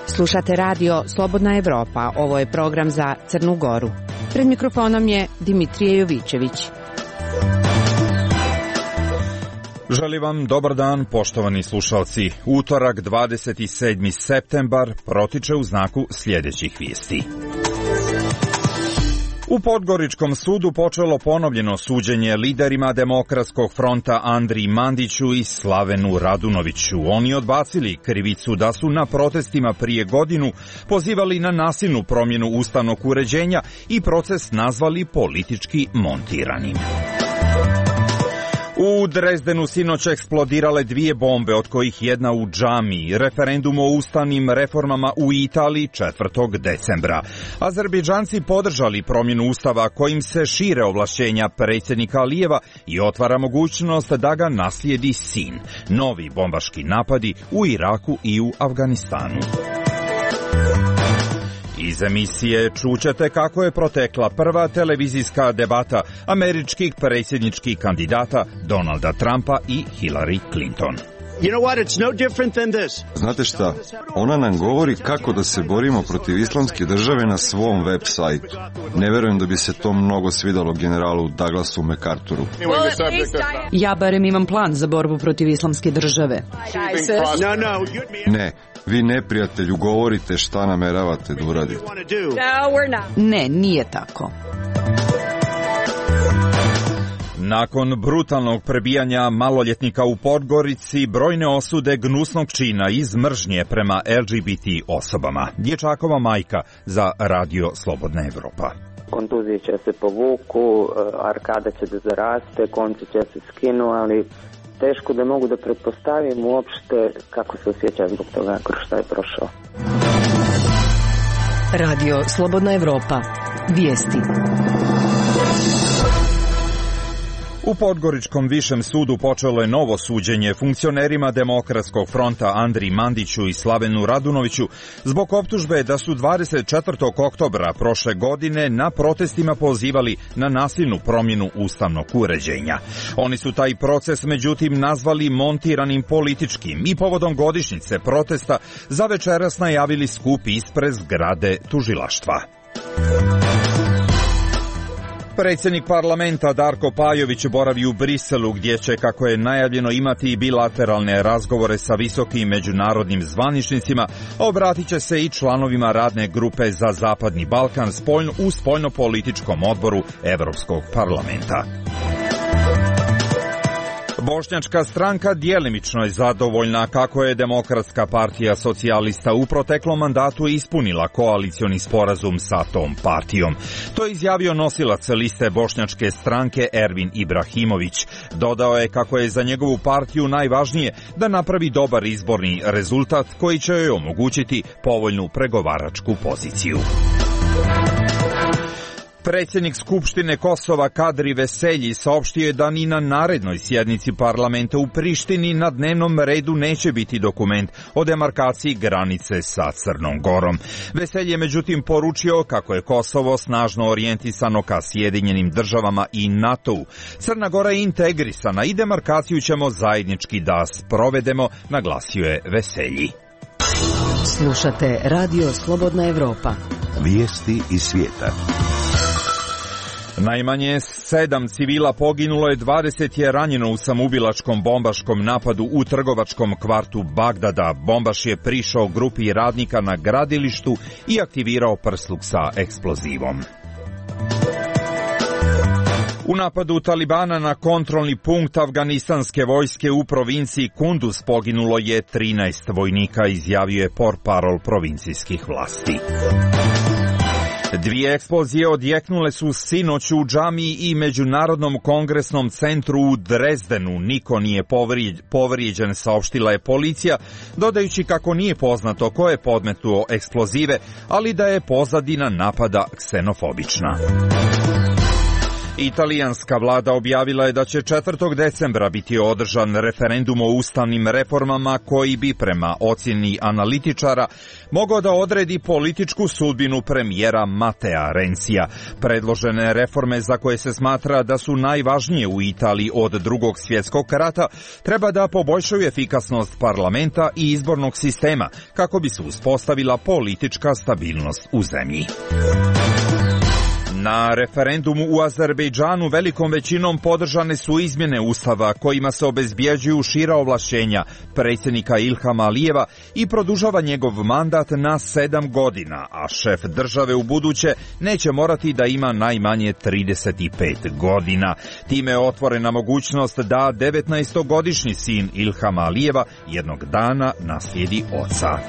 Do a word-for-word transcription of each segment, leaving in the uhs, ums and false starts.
Slušate radio Slobodna Evropa. Ovo je program za Crnu Goru. Pred mikrofonom je Dimitrije Jovićević. Želim vam dobar dan, poštovani slušalci. Utorak, dvadeset sedmi septembar, protiče u znaku sljedećih vijesti. U Podgoričkom sudu počelo ponovljeno suđenje liderima Demokratskog fronta Andriji Mandiću i Slavenu Radunoviću. Oni odbacili krivicu da su na protestima prije godinu pozivali na nasilnu promjenu ustavnog uređenja i proces nazvali politički montiranim. U Drezdenu sinoć eksplodirale dvije bombe, od kojih jedna u džamiji. Referendum o ustavnim reformama u Italiji četvrtog decembra. Azerbejdžanci podržali promjenu ustava kojim se šire ovlašćenja predsjednika Alijeva i otvara mogućnost da ga naslijedi sin. Novi bombaški napadi u Iraku i u Afganistanu. Iz emisije čućete kako je protekla prva televizijska debata američkih predsjedničkih kandidata Donalda Trumpa i Hillary Clinton. You know what? It's no different than this. Znate šta? Ona nam govori kako da se borimo protiv islamske države na svom web sajtu. Ne verujem da bi se to mnogo svidalo generalu Douglasu MacArthuru. Ja barem imam plan za borbu protiv islamske države. Ne, vi neprijatelju govorite šta nameravate da uradite. Ne, nije tako. Nakon brutalnog prebijanja maloljetnika u Podgorici, brojne osude gnusnog čina iz mržnje prema L G B T osobama. Dječakova majka za radio Slobodna Evropa. Kontuzije će se povuku, arkada će da zaraste, konci će se skinu, ali teško da mogu da pretpostavim uopšte kako se osjeća zbog toga kroz šta je prošao. Radio Slobodna Evropa. Vijesti. U Podgoričkom višem sudu počelo je novo suđenje funkcionerima Demokratskog fronta Andriji Mandiću i Slavenu Radunoviću zbog optužbe da su dvadeset četvrtog oktobra prošle godine na protestima pozivali na nasilnu promjenu ustavnog uređenja. Oni su taj proces međutim nazvali montiranim političkim i povodom godišnjice protesta za večeras najavili skup ispred zgrade tužilaštva. Predsjednik parlamenta Darko Pajović boravi u Briselu gdje će, kako je najavljeno, imati bilateralne razgovore sa visokim međunarodnim zvaničnicima, a obratit će se i članovima radne grupe za Zapadni Balkan u spoljnopolitičkom odboru Europskog parlamenta. Bošnjačka stranka djelimično je zadovoljna kako je Demokratska partija socijalista u proteklom mandatu ispunila koalicioni sporazum sa tom partijom. To je izjavio nosilac liste Bošnjačke stranke Ervin Ibrahimović. Dodao je kako je za njegovu partiju najvažnije da napravi dobar izborni rezultat koji će joj omogućiti povoljnu pregovaračku poziciju. Predsjednik Skupštine Kosova Kadri Veselji saopštio je da ni na narednoj sjednici parlamenta u Prištini na dnevnom redu neće biti dokument o demarkaciji granice sa Crnom Gorom. Veselji je međutim poručio kako je Kosovo snažno orijentisano ka Sjedinjenim državama i NATO-u. Crna Gora je integrisana i demarkaciju ćemo zajednički da sprovedemo, naglasio je Veselji. Slušate radio Slobodna Evropa. Vijesti iz svijeta. Najmanje sedam civila poginulo je, dvadeset je ranjeno u samoubilačkom bombaškom napadu u trgovačkom kvartu Bagdada. Bombaš je prišao grupi radnika na gradilištu i aktivirao prsluk sa eksplozivom. U napadu Talibana na kontrolni punkt afganistanske vojske u provinciji Kunduz poginulo je trinaest vojnika, izjavio je portparol provincijskih vlasti. Dvije eksplozije odjeknule su sinoć u džamiji i Međunarodnom kongresnom centru u Drezdenu. Niko nije povrijeđen, saopštila je policija, dodajući kako nije poznato ko je podmetnuo eksplozive, ali da je pozadina napada ksenofobična. Italijanska vlada objavila je da će četvrtog decembra biti održan referendum o ustavnim reformama koji bi prema ocjeni analitičara mogao da odredi političku sudbinu premijera Matea Renzija. Predložene reforme za koje se smatra da su najvažnije u Italiji od Drugog svjetskog rata treba da poboljšaju efikasnost parlamenta i izbornog sistema kako bi se uspostavila politička stabilnost u zemlji. Na referendumu u Azerbejdžanu velikom većinom podržane su izmjene ustava kojima se obezbjeđuju šira ovlašćenja predsjednika Ilhama Alijeva i produžava njegov mandat na sedam godina, a šef države u buduće neće morati da ima najmanje trideset pet godina. Time je otvorena mogućnost da devetnaestogodišnji sin Ilhama Alijeva jednog dana naslijedi oca.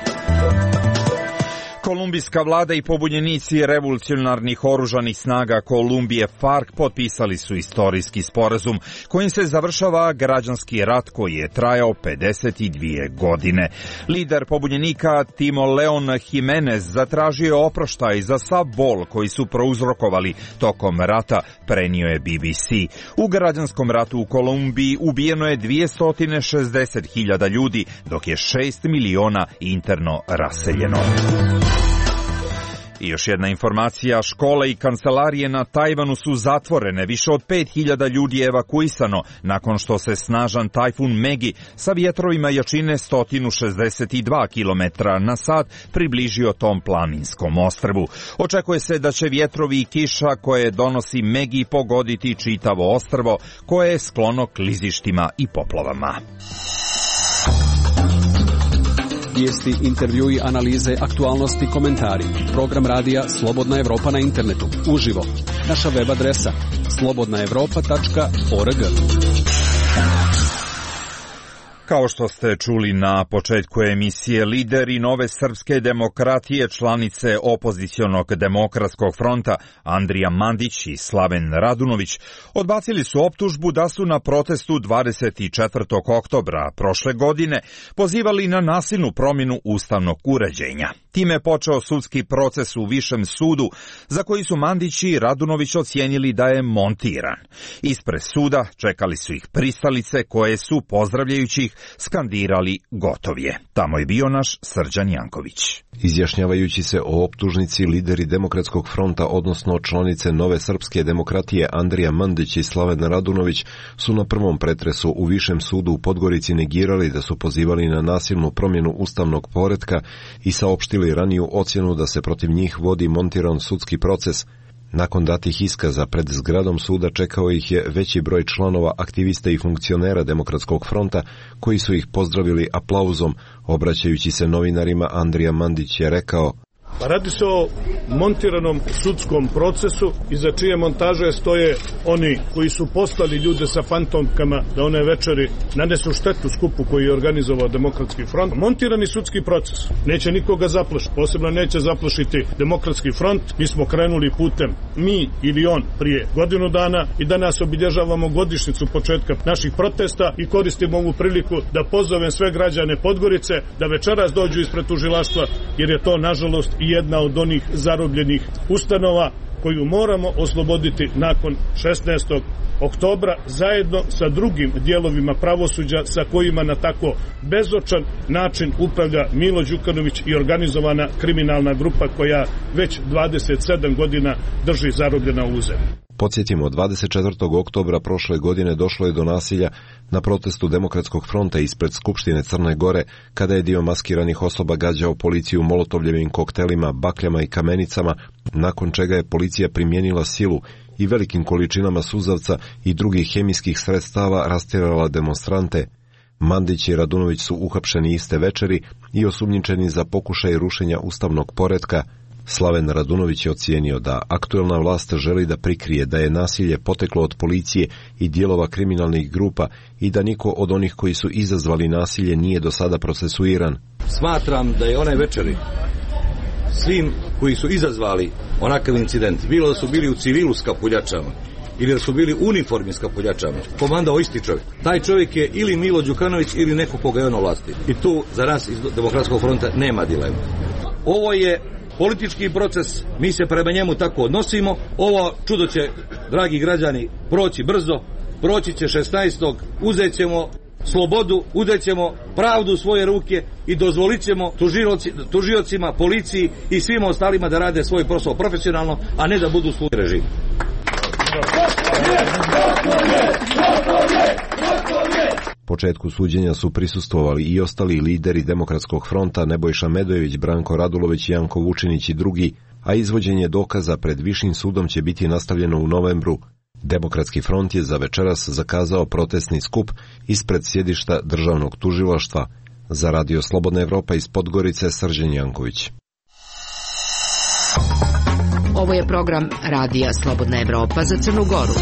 Kolumbijska vlada i pobunjenici revolucionarnih oružanih snaga Kolumbije FARC potpisali su istorijski sporazum kojim se završava građanski rat koji je trajao pedeset dvije godine. Lider pobunjenika Timo Leon Jimenez zatražio je oproštaj za sav bol koji su prouzrokovali tokom rata, prenio je B B C. U građanskom ratu u Kolumbiji ubijeno je dvjesto šezdeset hiljada ljudi, dok je šest miliona interno raseljeno. I još jedna informacija, škole i kancelarije na Tajvanu su zatvorene, više od pet hiljada ljudi je evakuisano nakon što se snažan tajfun Megi sa vjetrovima jačine sto šezdeset dva kilometra na sat približio tom planinskom ostrvu. Očekuje se da će vjetrovi i kiša koje donosi Megi pogoditi čitavo ostrvo koje je sklono klizištima i poplavama. Vijesti, intervjui, analize, aktualnosti, komentari. Program radija Slobodna Evropa na internetu. Uživo. Naša web adresa slobodna evropa tačka org. Kao što ste čuli na početku emisije, lideri Nove srpske demokratije, članice opozicionog demokratskog fronta Andrija Mandić i Slaven Radunović odbacili su optužbu da su na protestu dvadeset četvrtog oktobra prošle godine pozivali na nasilnu promjenu ustavnog uređenja. Time je počeo sudski proces u Višem sudu za koji su Mandić i Radunović ocijenili da je montiran. Ispred suda čekali su ih pristalice koje su, pozdravljajući ih, skandirali gotov je. Tamo je bio naš Srđan Janković. Izjašnjavajući se o optužnici, lideri Demokratskog fronta, odnosno članice Nove srpske demokratije Andrija Mandić i Slaven Radunović, su na prvom pretresu u Višem sudu u Podgorici negirali da su pozivali na nasilnu promjenu ustavnog poretka i saopštili raniju ocjenu da se protiv njih vodi montiran sudski proces. Nakon datih iskaza pred zgradom suda čekao ih je veći broj članova, aktivista i funkcionera Demokratskog fronta koji su ih pozdravili aplauzom. Obraćajući se novinarima, Andrija Mandić je rekao: Radi se o montiranom sudskom procesu iza čije montaže stoje oni koji su poslali ljude sa fantomkama da one večeri nanesu štetu skupu koji je organizovao Demokratski front. Montirani sudski proces neće nikoga zaplašiti, posebno neće zaplašiti Demokratski front. Mi smo krenuli putem, mi ili on, prije godinu dana i danas obilježavamo godišnjicu početka naših protesta i koristimo ovu priliku da pozovem sve građane Podgorice da večeras dođu ispred tužilaštva, jer je to nažalost i jedna od onih zarobljenih ustanova koju moramo osloboditi nakon šesnaestog oktobra zajedno sa drugim dijelovima pravosuđa sa kojima na tako bezočan način upravlja Milo Đukanović i organizovana kriminalna grupa koja već dvadeset sedam godina drži zarobljena u zemlji. Podsjetimo, dvadeset četvrtog oktobra prošle godine došlo je do nasilja na protestu Demokratskog fronta ispred Skupštine Crne Gore, kada je dio maskiranih osoba gađao policiju molotovljevim koktelima, bakljama i kamenicama, nakon čega je policija primijenila silu i velikim količinama suzavca i drugih hemijskih sredstava rastjerala demonstrante. Mandić i Radunović su uhapšeni iste večeri i osumnjičeni za pokušaj rušenja ustavnog poretka. Slaven Radunović je ocijenio da aktuelna vlast želi da prikrije da je nasilje poteklo od policije i dijelova kriminalnih grupa i da niko od onih koji su izazvali nasilje nije do sada procesuiran. Smatram da je onaj večeri svim koji su izazvali onakav incident, bilo da su bili u civilu s kapuljačama ili da su bili u uniformi s kapuljačama, komandao isti čovjek. Taj čovjek je ili Milo Đukanović ili neko koga je on ovlasti. I tu za nas iz Demokratskog fronta nema dilema. Ovo je politički proces, mi se prema njemu tako odnosimo. Ovo čudo će dragi građani, proći brzo, proći će šesnaestog uzet ćemo slobodu, uzet ćemo pravdu u svoje ruke i dozvolit ćemo tužiocima, policiji i svima ostalima da rade svoj posao profesionalno, a ne da budu sluge režima. Početku suđenja su prisustvovali i ostali lideri Demokratskog fronta Nebojša Medojević, Branko Radulović, Janko Vučinić i drugi, a izvođenje dokaza pred Višim sudom će biti nastavljeno u novembru. Demokratski front je za večeras zakazao protestni skup ispred sjedišta državnog tužilaštva. Za Radio Slobodna Evropa iz Podgorice, Srđan Janković. Ovo je program Radija Slobodna Evropa za Crnu Goru.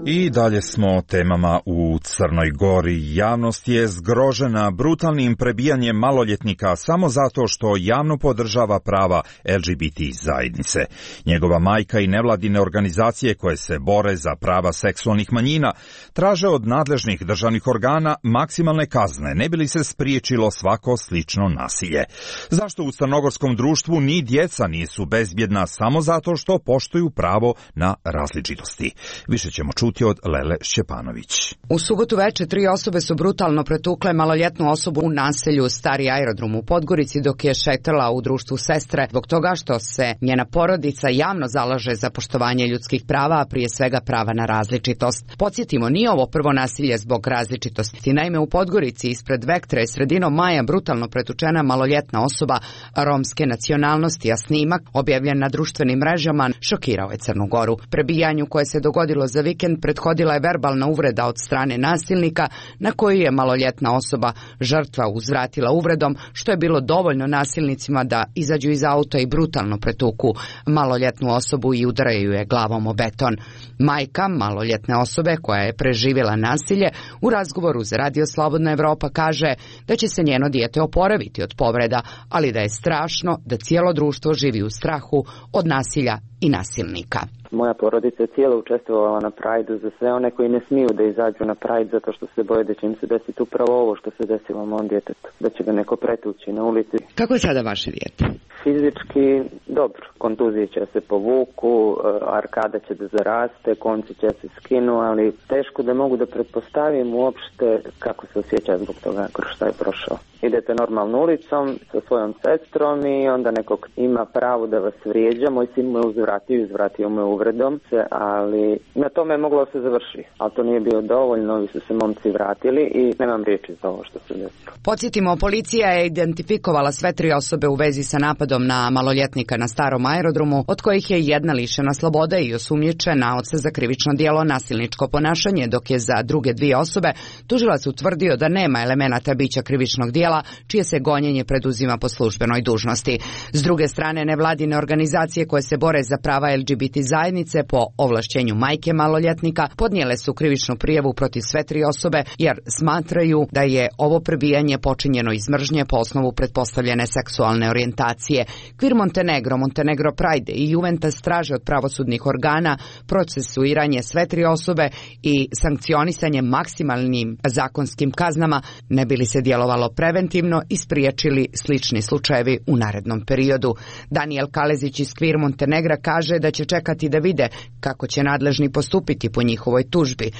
I dalje smo temama u Crnoj Gori. Javnost je zgrožena brutalnim prebijanjem maloljetnika samo zato što javno podržava prava L G B T zajednice. Njegova majka i nevladine organizacije koje se bore za prava seksualnih manjina traže od nadležnih državnih organa maksimalne kazne, ne bi li se spriječilo svako slično nasilje. Zašto u crnogorskom društvu ni djeca nisu bezbjedna samo zato što poštuju pravo na različitosti? Više ćemo čuti od Lele Šćepanović. U subotu veče tri osobe su brutalno pretukle maloljetnu osobu u naselju Stari aerodrom u Podgorici dok je šetala u društvu sestre zbog toga što se njena porodica javno zalaže za poštovanje ljudskih prava, a prije svega prava na različitost. Podsjetimo, nije ovo prvo nasilje zbog različitosti. Naime, u Podgorici ispred Vektre je sredinom maja brutalno pretučena maloljetna osoba romske nacionalnosti, a snimak objavljen na društvenim mrežama šokirao je Crnu Goru. Prebijanju koje se dogodilo za vikend prethodila je verbalna uvreda od strane nasilnika na koju je maloljetna osoba žrtva uzvratila uvredom, što je bilo dovoljno nasilnicima da izađu iz auta i brutalno pretuku maloljetnu osobu i udaraju je glavom o beton. Majka maloljetne osobe koja je preživjela nasilje u razgovoru za Radio Slobodna Evropa kaže da će se njeno dijete oporaviti od povreda, ali da je strašno da cijelo društvo živi u strahu od nasilja i nasilnika. Moja porodica je cijelo učestvovala na Prajdu za sve one koji ne smiju da izađu na Prajd zato što se boje da će im se desiti upravo ovo što se desilo mom djetetu, da će ga neko pretući na ulici. Kako je sada vaše dijete? Fizički dobro, kontuzije će se povuku, arkada će da zaraste, konci će se skinu, ali teško da mogu da pretpostavim uopšte kako se osjeća zbog toga kroz šta je prošao. Idete normalno ulicom sa svojom sestrom i onda nekog ima pravo da vas vrijeđa, moj sin mu je uzvratio, izvratio mu je uvredom, ali na tome je moglo se završiti, ali to nije bilo dovoljno, ovi su se momci vratili i nemam riječi za ovo što se desilo. Podsjetimo, policija je identifikovala sve tri osobe u vezi sa napadom na maloljetnika na Starom aerodromu, od kojih je jedna lišena slobode i osumnjičena oca za krivično djelo nasilničko ponašanje, dok je za druge dvije osobe tužilac utvrdio da nema elemenata bića krivičnog djela, čije se gonjenje preduzima po službenoj dužnosti. S druge strane, nevladine organizacije koje se bore za prava L G B T zajednice po ovlašćenju majke maloljetnika podnijele su krivičnu prijavu protiv sve tri osobe jer smatraju da je ovo prebijanje počinjeno iz mržnje po osnovu pretpostavljene seksualne orijentacije. Queer Montenegro, Montenegro Pride i Juventus traže od pravosudnih organa procesuiranje sve tri osobe i sankcionisanje maksimalnim zakonskim kaznama, ne bi li se djelovalo preventivno i spriječili slični slučajevi u narednom periodu. Daniel Kalezić iz Queer Montenegra kaže da će čekati da vide kako će nadležni postupiti po njihovoj tužbi.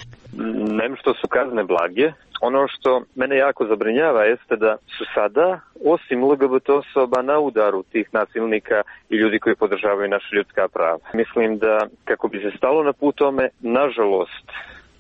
Nem što su kazne blage. Ono što mene jako zabrinjava jeste da su sada, osim L G B T osoba, na udaru tih nasilnika i ljudi koji podržavaju naše ljudska prava. Mislim da kako bi se stalo na put tome, nažalost,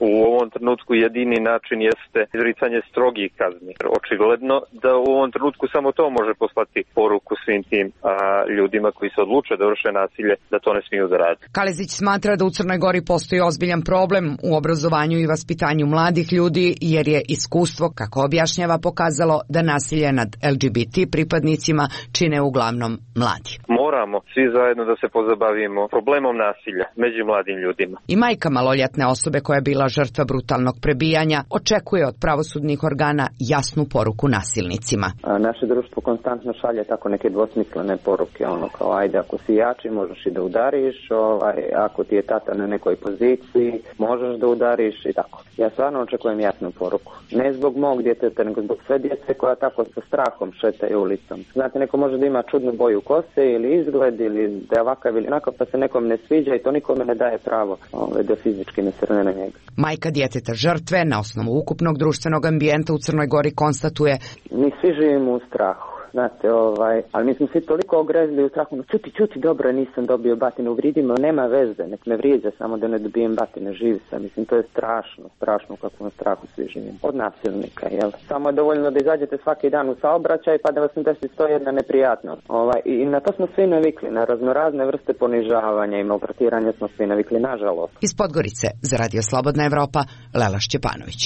u ovom trenutku jedini način jeste izricanje strogih kazni. Očigledno da u ovom trenutku samo to može poslati poruku svim tim a, ljudima koji se odluče da vrše nasilje, da to ne smiju da rade. Kalezić smatra da u Crnoj Gori postoji ozbiljan problem u obrazovanju i vaspitanju mladih ljudi, jer je iskustvo, kako objašnjava, pokazalo da nasilje nad L G B T pripadnicima čine uglavnom mladi. Moramo svi zajedno da se pozabavimo problemom nasilja među mladim ljudima. I majka maloljetne osobe koja je bila žrtva brutalnog prebijanja, očekuje od pravosudnih organa jasnu poruku nasilnicima. A naše društvo konstantno šalje tako neke dvosmislene poruke, ono kao ajde ako si jači možeš i da udariš, ovaj, ako ti je tata na nekoj poziciji možeš da udariš i tako. Ja stvarno očekujem jasnu poruku. Ne zbog mog djeteta, nego zbog sve djece koja tako sa strahom šetaju ulicom. Znate, neko može da ima čudnu boju kose ili izgled ili da je ovakav ili onakav pa se nekom ne sviđa i to nikome ne daje pravo ovaj, da fizički ne srne na njega. Majka djeteta žrtve na osnovu ukupnog društvenog ambijenta u Crnoj Gori konstatuje: mi svi živimo u strahu. Znate, ovaj, ali mi smo svi toliko ogrezli u strahu, no čuti, čuti, dobro, nisam dobio batinu, vridimo, nema veze, nek me vrijeđa samo da ne dobijem batine, živ sam, mislim, to je strašno, strašno kako na strahu svi živimo. Od nasilnika, jel? Samo je dovoljno da izađete svaki dan u saobraćaj pa da vas ne desi sto jedna neprijatnost. Ovaj, i na to smo svi navikli, na raznorazne vrste ponižavanja i maltretiranja smo svi navikli, nažalost. Iz Podgorice, za Radio Slobodna Evropa, Lela Šćepanović.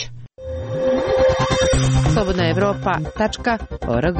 slobodna evropa tačka org.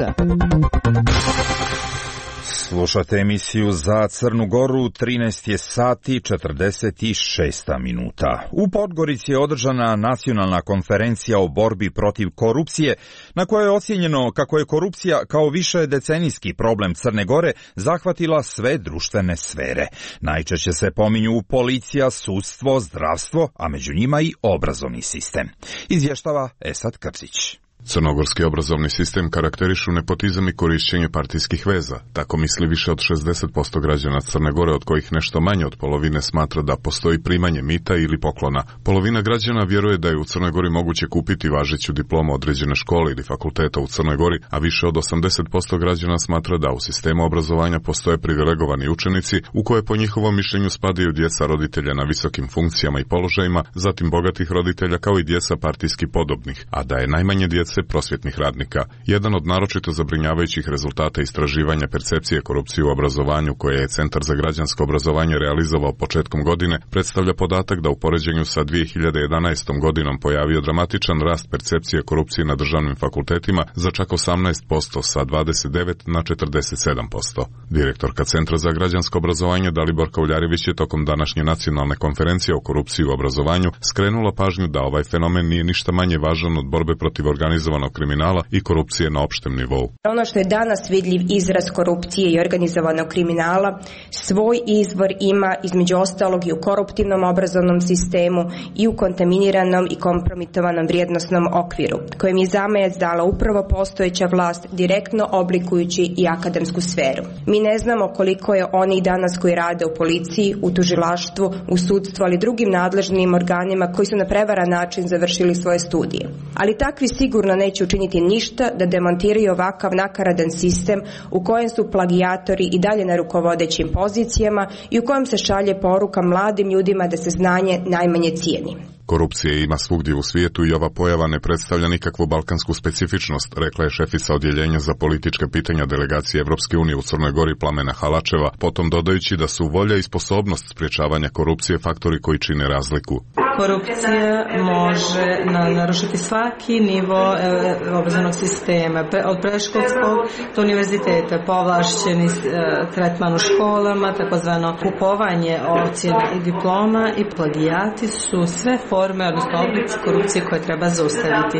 Slušate emisiju za Crnu Goru, trinaest je sati četrdeset šest minuta. U Podgorici je održana nacionalna konferencija o borbi protiv korupcije, na kojoj je ocijenjeno kako je korupcija kao više decenijski problem Crne Gore zahvatila sve društvene sfere. Najčešće se pominju policija, sudstvo, zdravstvo, a među njima i obrazovni sistem. Izvještava Esad Krzić. Crnogorski obrazovni sistem karakterišu nepotizam i korišćenje partijskih veza. Tako misli više od šezdeset posto građana Crne Gore, od kojih nešto manje od polovine smatra da postoji primanje mita ili poklona. Polovina građana vjeruje da je u Crnoj Gori moguće kupiti važeću diplomu određene škole ili fakulteta u Crnoj Gori, a više od osamdeset posto građana smatra da u sistemu obrazovanja postoje privilegovani učenici u koje po njihovom mišljenju spadaju djeca roditelja na visokim funkcijama i položajima, zatim bogatih roditelja kao i djeca partijski podobnih, a da je najmanje djece prosvjetnih radnika. Jedan od naročito zabrinjavajućih rezultata istraživanja percepcije korupcije u obrazovanju koje je Centar za građansko obrazovanje realizovao početkom godine predstavlja podatak da u poređenju sa dvije hiljade jedanaestom godinom pojavio dramatičan rast percepcije korupcije na državnim fakultetima za čak osamnaest posto sa dvadeset devet na četrdeset sedam posto. Direktorka Centra za građansko obrazovanje Daliborka Uljarević je tokom današnje nacionalne konferencije o korupciji u obrazovanju skrenula pažnju da ovaj fenomen nije ništa manje važan od borbe protiv organizovanog kriminala i korupcije na opštem nivou. Ono što je danas vidljiv izraz korupcije i organizovanog kriminala, svoj izvor ima između ostalog i u koruptivnom obrazovnom sistemu i u kontaminiranom i kompromitovanom vrijednosnom okviru, kojem je zamajac dala upravo postojeća vlast, direktno oblikujući i akademsku sferu. Mi ne znamo koliko je onih danas koji rade u policiji, u tužilaštvu, u sudstvu, ali drugim nadležnim organima koji su na prevaran način završili svoje studije. Ali takvi sigurno neće učiniti ništa da demontiraju ovakav nakaradan sistem u kojem su plagijatori i dalje na rukovodećim pozicijama i u kojem se šalje poruka mladim ljudima da se znanje najmanje cijeni. Korupcije ima svugdje u svijetu i ova pojava ne predstavlja nikakvu balkansku specifičnost, rekla je šefica odjeljenja za politička pitanja delegacije Evropske unije u Crnoj Gori Plamena Halačeva, potom dodajući da su volja i sposobnost sprječavanja korupcije faktori koji čine razliku. Korupcija može narušiti svaki nivo obrazovnog sistema, od predškolskog do univerziteta, povlašćeni tretman u školama, takozvano kupovanje ocjena i diploma i plagijati su sve forme, odnosno oblici korupcije koje treba zaustaviti.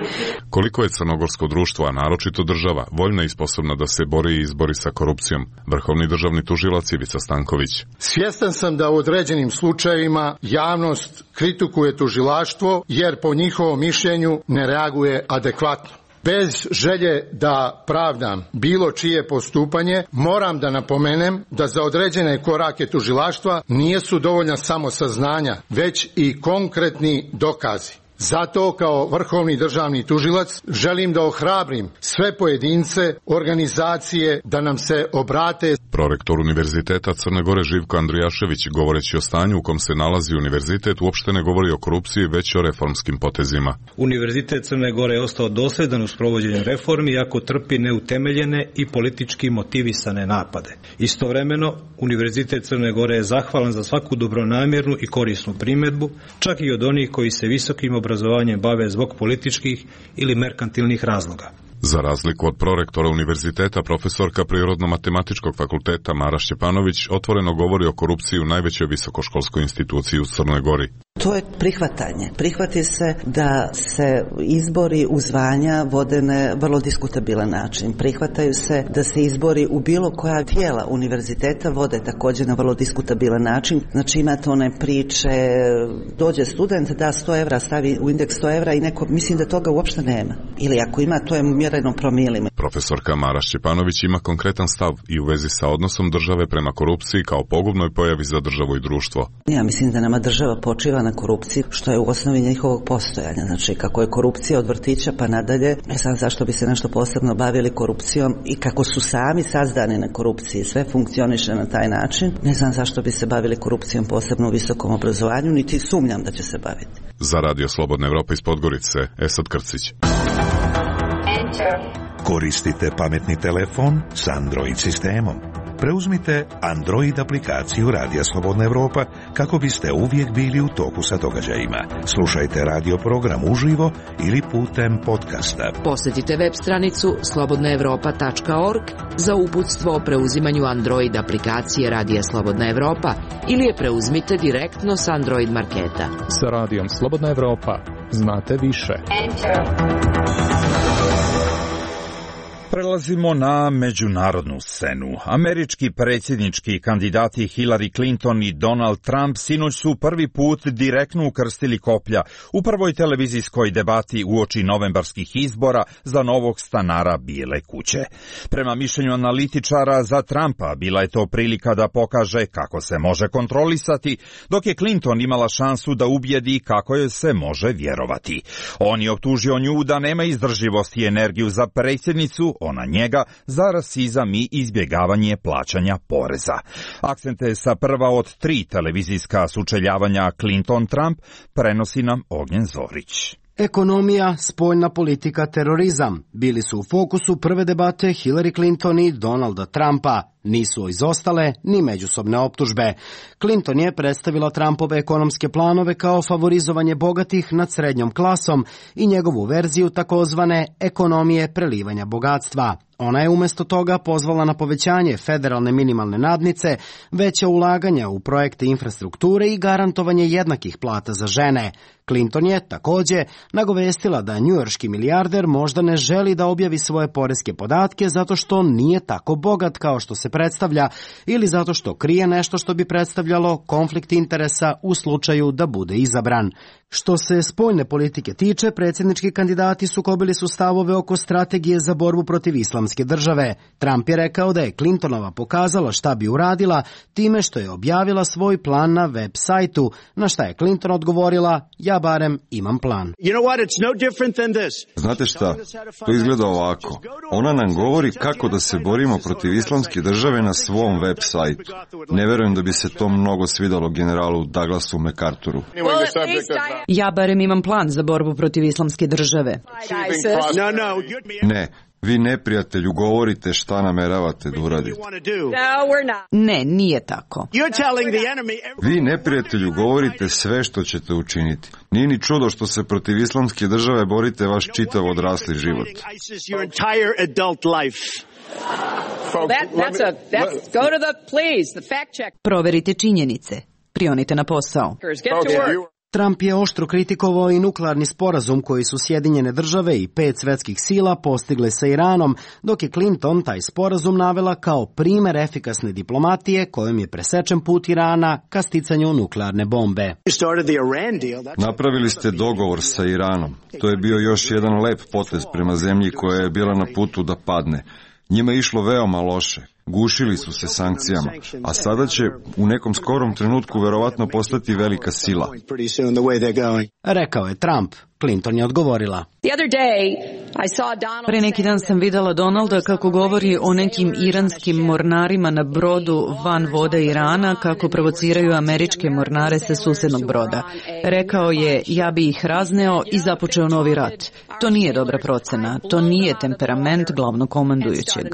Koliko je crnogorsko društvo, a naročito država, voljna i sposobna da se bori i izbori sa korupcijom? Vrhovni državni tužilac Ivica Stanković. Svjestan sam da u određenim slučajevima javnost kritikuje tužilaštvo jer po njihovom mišljenju ne reaguje adekvatno. Bez želje da pravdam bilo čije postupanje, moram da napomenem da za određene korake tužilaštva nisu dovoljna samo saznanja, već i konkretni dokazi. Zato kao vrhovni državni tužilac želim da ohrabrim sve pojedince, organizacije da nam se obrate. Prorektor Univerziteta Crne Gore Živko Andrijašević, govoreći o stanju u kom se nalazi univerzitet, uopšte ne govori o korupciji, već o reformskim potezima. Univerzitet Crne Gore je ostao dosljedan u sprovođenju reformi, iako trpi neutemeljene i politički motivisane napade. Istovremeno, Univerzitet Crne Gore je zahvalan za svaku dobronamjernu i korisnu primjedbu, čak i od onih koji se visokim obrazovanjem bave zbog političkih ili merkantilnih razloga. Za razliku od prorektora univerziteta, profesorka Prirodno-matematičkog fakulteta Mara Šćepanović otvoreno govori o korupciji u najvećoj visokoškolskoj instituciji u Crnoj Gori. To je prihvatanje. Prihvati se da se izbori u zvanja vode na vrlo diskutabilan način. Prihvataju se da se izbori u bilo koja tijela univerziteta vode također na vrlo diskutabilan način. Znači imate one priče, dođe student, da sto evra, stavi u indeks sto evra i neko, mislim da toga uopšte nema. Ili ako ima, to je mjereno promilima. Profesorka Mara Šćepanović ima konkretan stav i u vezi sa odnosom države prema korupciji kao pogubnoj pojavi za državu i društvo. Ja mislim da nama država počiva na korupciji, što je u osnovi njihovog postojanja. Znači, kako je korupcija od vrtića pa nadalje, ne znam zašto bi se nešto posebno bavili korupcijom i kako su sami sazdani na korupciji, sve funkcioniše na taj način, ne znam zašto bi se bavili korupcijom posebno u visokom obrazovanju, niti sumnjam da će se baviti. Za Radio Slobodna Evropa iz Podgorice, Esad Krcić. Koristite pametni telefon s Android sistemom. Preuzmite Android aplikaciju Radija Slobodna Evropa kako biste uvijek bili u toku sa događajima. Slušajte radio program uživo ili putem podcasta. Posjetite web stranicu slobodna evropa tačka org za uputstvo o preuzimanju Android aplikacije Radija Slobodna Evropa ili je preuzmite direktno s Android marketa. Sa Radijom Slobodna Evropa znate više. Prelazimo na međunarodnu scenu. Američki predsjednički kandidati Hillary Clinton i Donald Trump sinoć su prvi put direktno ukrstili koplja u prvoj televizijskoj debati uoči novembarskih izbora za novog stanara Bijele kuće. Prema mišljenju analitičara, za Trumpa bila je to prilika da pokaže kako se može kontrolisati, dok je Clinton imala šansu da ubijedi kako joj se može vjerovati. On je optužio nju da nema izdržljivost i energiju za predsjednicu, ona njega za rasizam i izbjegavanje plaćanja poreza. Akcente sa prva od tri televizijska sučeljavanja Clinton-Trump prenosi nam Ognjen Zorić. Ekonomija, spoljna politika, terorizam bili su u fokusu prve debate Hillary Clinton i Donalda Trumpa. Nisu izostale ni međusobne optužbe. Clinton je predstavila Trumpove ekonomske planove kao favorizovanje bogatih nad srednjom klasom i njegovu verziju takozvane ekonomije prelivanja bogatstva. Ona je umjesto toga pozvala na povećanje federalne minimalne nadnice, veća ulaganja u projekte infrastrukture i garantovanje jednakih plata za žene. Clinton je također nagovestila da njujorški milijarder možda ne želi da objavi svoje poreske podatke zato što nije tako bogat kao što se predstavlja ili zato što krije nešto što bi predstavljalo konflikt interesa u slučaju da bude izabran. Što se spoljne politike tiče, predsjednički kandidati sukobili su stavove oko strategije za borbu protiv islamske države. Trump je rekao da je Clintonova pokazala šta bi uradila time što je objavila svoj plan na web sajtu, na šta je Clinton odgovorila: ja barem imam plan. Znate šta, to izgleda ovako. Ona nam govori kako da se borimo protiv islamske države na svom web sajtu. Ne verujem da bi se to mnogo svidalo generalu Douglasu MacArthuru. Ja barem imam plan za borbu protiv islamske države. Ne, vi neprijatelju govorite šta nameravate da uradite. Ne, nije tako. Vi neprijatelju govorite sve što ćete učiniti. Nije ni čudo što se protiv islamske države borite vaš čitav odrasli život. Proverite činjenice. Prionite na posao. Trump je oštro kritikovao i nuklearni sporazum koji su Sjedinjene države i pet svetskih sila postigle sa Iranom, dok je Clinton taj sporazum navela kao primer efikasne diplomatije kojom je presečen put Irana ka sticanju nuklearne bombe. Napravili ste dogovor sa Iranom. To je bio još jedan lep potez prema zemlji koja je bila na putu da padne. Njima je išlo veoma loše. Gušili su se sankcijama, a sada će u nekom skorom trenutku verovatno postati velika sila. Rekao je Trump. Clinton je odgovorila. Pre neki dan sam videla Donalda kako govori o nekim iranskim mornarima na brodu van vode Irana, kako provociraju američke mornare sa susjednog broda. Rekao je: ja bi ih razneo i započeo novi rat. To nije dobra procena, to nije temperament glavnog komandujućeg.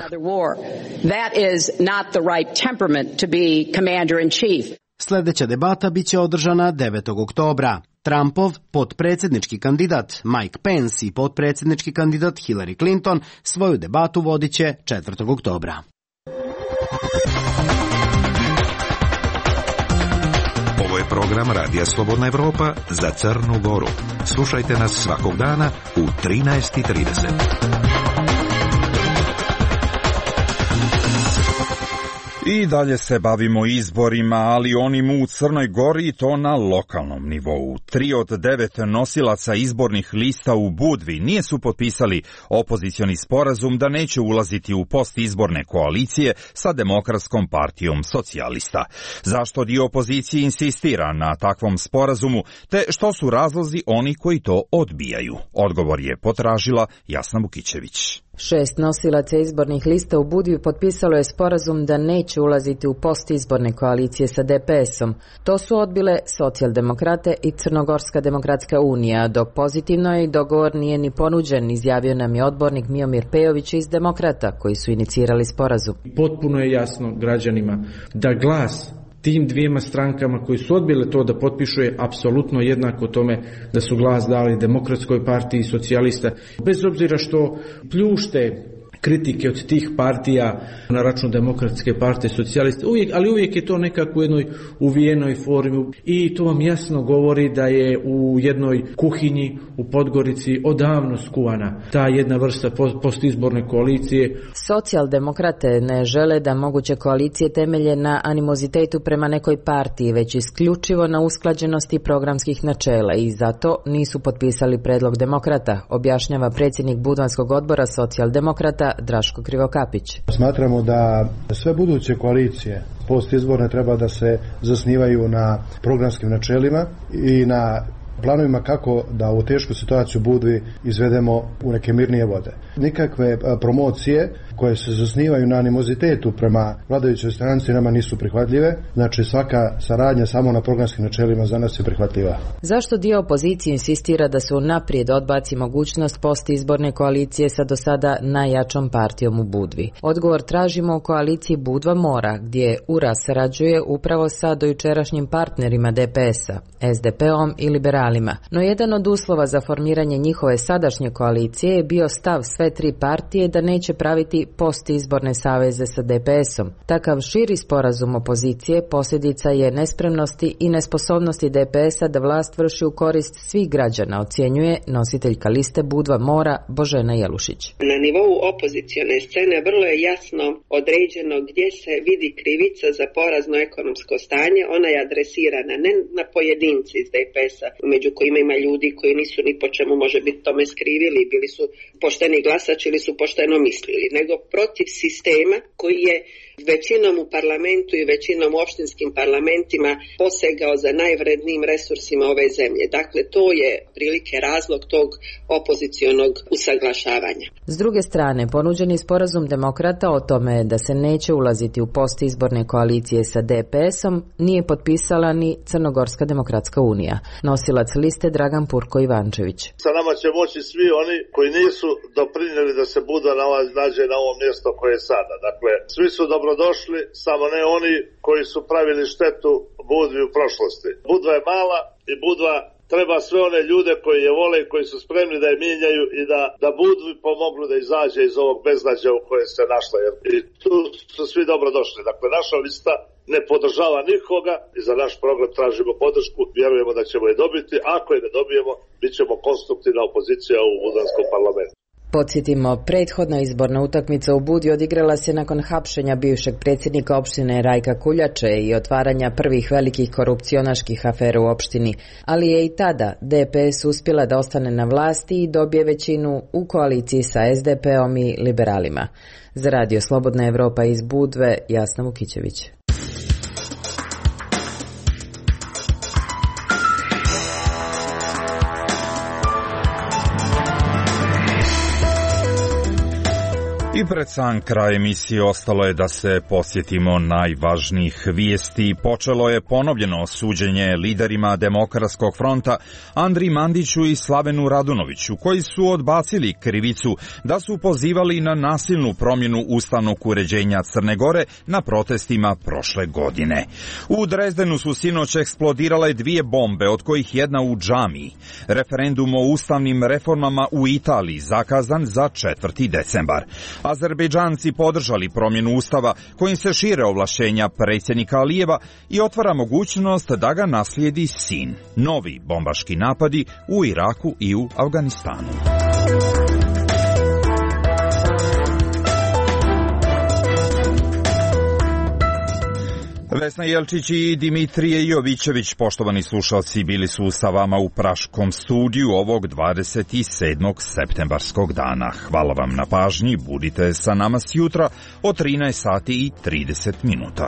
Sljedeća debata biće održana devetog oktobra. Trumpov potpredsjednički kandidat Mike Pence i potpredsjednički kandidat Hillary Clinton svoju debatu vodit će četvrtog oktobra. Ovo je program Radija Slobodna Evropa za Crnu Goru. Slušajte nas svakog dana u trinaest i trideset. I dalje se bavimo izborima, ali onim u Crnoj Gori i to na lokalnom nivou. Tri od devet nosilaca izbornih lista u Budvi nije su potpisali opozicioni sporazum da neće ulaziti u postizborne koalicije sa Demokratskom partijom socijalista. Zašto dio opozicije insistira na takvom sporazumu, te što su razlozi oni koji to odbijaju? Odgovor je potražila Jasna Vukićević. Šest nosilaca izbornih lista u Budvi potpisalo je sporazum da neće ulaziti u postizborne koalicije sa D P S-om. To su odbile Socijaldemokrate i Crnogorska demokratska unija, dok pozitivno je i dogovor nije ni ponuđen, izjavio nam je odbornik Miomir Pejović iz Demokrata, koji su inicirali sporazum. Potpuno je jasno građanima da glas tim dvijema strankama koji su odbile to da potpišu je apsolutno jednako tome da su glas dali Demokratskoj partiji socijalista. Bez obzira što pljušte kritike od tih partija na račun Demokratske partije socijaliste, uvijek, ali uvijek je to nekako u jednoj uvijenoj formi i to vam jasno govori da je u jednoj kuhinji u Podgorici odavno skuvana ta jedna vrsta postizborne koalicije. Socijaldemokrate ne žele da moguće koalicije temelje na animozitetu prema nekoj partiji, već isključivo na usklađenosti programskih načela i zato nisu potpisali predlog Demokrata, objašnjava predsjednik Budvanskog odbora Socijaldemokrata Draško Krivokapić. Smatramo da sve buduće koalicije postizborne treba da se zasnivaju na programskim načelima i na planovima kako da u tešku situaciju Budvi izvedemo u neke mirnije vode. Nikakve promocije koje se zasnivaju na animozitetu prema vladajućoj stranci nama nisu prihvatljive, znači svaka saradnja samo na programskim načelima za nas je prihvatljiva. Zašto dio opozicije insistira da se unaprijed odbaci mogućnost postizborne koalicije sa do sada najjačom partijom u Budvi? Odgovor tražimo u koaliciji Budva Mora, gdje U R A sarađuje upravo sa dojučerašnjim partnerima D P S-a, S D P-om i liberalima. No jedan od uslova za formiranje njihove sadašnje koalicije je bio stav sve tri partije da neće praviti postizborne saveze sa D P S-om. Takav širi sporazum opozicije posljedica je nespremnosti i nesposobnosti D P S-a da vlast vrši u korist svih građana, ocjenjuje nositeljka liste Budva Mora Božena Jelušić. Na nivou opozicione scene vrlo je jasno određeno gdje se vidi krivica za porazno ekonomsko stanje. Ona je adresirana ne na pojedinci iz D P S-a, među kojima ima ljudi koji nisu ni po čemu može biti tome skrivili, bili su pošteni glasači ili su pošteno mislili, nego protiv sistema koji je većinom u parlamentu i većinom u opštinskim parlamentima posegao za najvrednijim resursima ove zemlje. Dakle, to je prilike razlog tog opozicionog usaglašavanja. S druge strane, ponuđeni sporazum Demokrata o tome da se neće ulaziti u postizborne koalicije sa D P S-om nije potpisala ni Crnogorska demokratska unija. Nosilac liste Dragan Purko Ivančević. Sa nama će moći svi oni koji nisu doprinijeli da se Budva nađe na ovom mjestu koje je sada. Dakle, svi su dobrodošli, samo ne oni koji su pravili štetu Budvi u prošlosti. Budva je mala i Budva treba sve one ljude koji je vole i koji su spremni da je mijenjaju i da, da Budvi pomognu da izađe iz ovog beznađa u koje se našla. Jer i tu su svi dobrodošli. Dakle, naša lista ne podržava nikoga i za naš program tražimo podršku. Vjerujemo da ćemo je dobiti. Ako je ne dobijemo, bit ćemo konstruktivna opozicija u Budvanskom parlamentu. Podsjetimo, prethodna izborna utakmica u Budvi odigrala se nakon hapšenja bivšeg predsjednika opštine Rajka Kuljače i otvaranja prvih velikih korupcionaških afera u opštini, ali je i tada D P S uspjela da ostane na vlasti i dobije većinu u koaliciji sa S D P-om i liberalima. Za Radio Slobodna Evropa iz Budve, Jasna Vukićević. I pred sam kraj emisije ostalo je da se posjetimo najvažnijih vijesti. Počelo je ponovljeno suđenje liderima Demokratskog fronta Andri Mandiću i Slavenu Radunoviću, koji su odbacili krivicu da su pozivali na nasilnu promjenu ustavnog uređenja Crne Gore na protestima prošle godine. U Drezdenu su sinoć eksplodirale dvije bombe, od kojih jedna u džamiji. Referendum o ustavnim reformama u Italiji zakazan za četvrti decembar. Azerbejdžanci podržali promjenu ustava kojim se šire ovlašćenja predsjednika Alijeva i otvara mogućnost da ga naslijedi sin. Novi bombaški napadi u Iraku i u Afganistanu. Vesna Jelčić i Dimitrije Jovićević, poštovani slušalci, bili su sa vama u Praškom studiju ovog dvadeset sedmog septembarskog dana. Hvala vam na pažnji, budite sa nama sjutra od trinaest sati i trideset minuta.